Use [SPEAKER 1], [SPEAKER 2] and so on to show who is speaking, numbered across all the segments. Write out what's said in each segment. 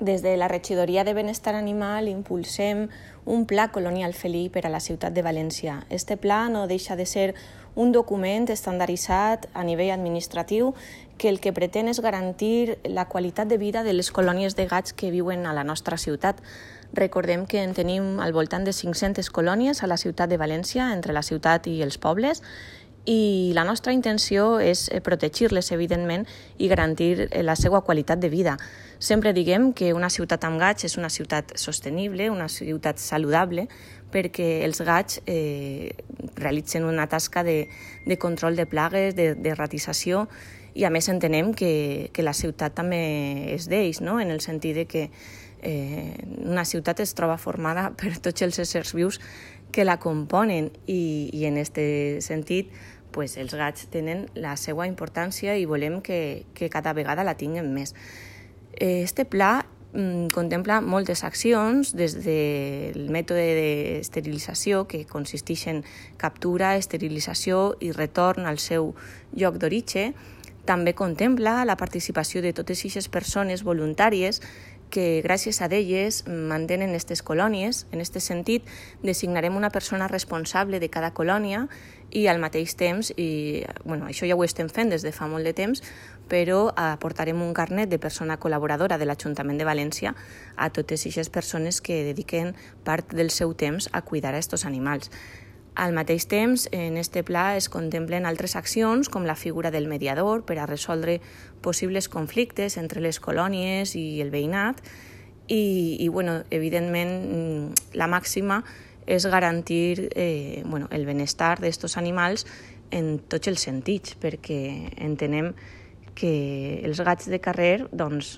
[SPEAKER 1] Des de la Regidoria de Benestar Animal impulsem un pla colonial felí per a la ciutat de València. Este pla no deixa de ser un document estandarditzat a nivell administratiu que el que pretén és garantir la qualitat de vida de les colònies de gats que viuen a la nostra ciutat. Recordem que en tenim al voltant de 500 colònies a la ciutat de València, entre la ciutat i els pobles, i la nostra intenció és protegir-les, evidentment, i garantir la seva qualitat de vida. Sempre diguem que una ciutat amb gats és una ciutat sostenible, una ciutat saludable, perquè els gats realitzen una tasca de control de plagues, de ratització, i a més entenem que la ciutat també és d'ells, no? En el sentit de que una ciutat es troba formada per tots els éssers vius que la componen i en aquest sentit pues, els gats tenen la seva importància i volem que cada vegada la tinguem més. Este pla contempla moltes accions, des del mètode d'esterilització, que consisteix en captura, esterilització i retorn al seu lloc d'origen. També contempla la participació de totes aquestes persones voluntàries que gràcies a elles mantenen aquestes colònies. En aquest sentit, designarem una persona responsable de cada colònia i al mateix temps, això ja ho estem fent des de fa molt de temps, però aportarem un carnet de persona col·laboradora de l'Ajuntament de València a totes aquestes persones que dediquen part del seu temps a cuidar aquests animals. Al mateix temps, en aquest pla es contemplen altres accions com la figura del mediador per a resoldre possibles conflictes entre les colònies i el veïnat i evidentment, la màxima és garantir el benestar d'aquests animals en tots els sentits, perquè entenem que els gats de carrer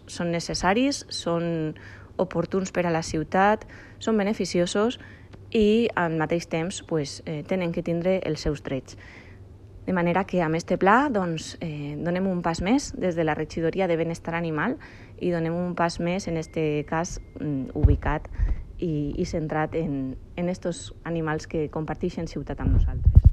[SPEAKER 1] són necessaris, són oportuns per a la ciutat, són beneficiosos i al mateix temps tenen que tindre els seus drets. De manera que amb aquest pla donem un pas més des de la Regidoria de Benestar Animal i donem un pas més, en aquest cas, ubicat i centrat en aquests animals que comparteixen ciutat amb nosaltres.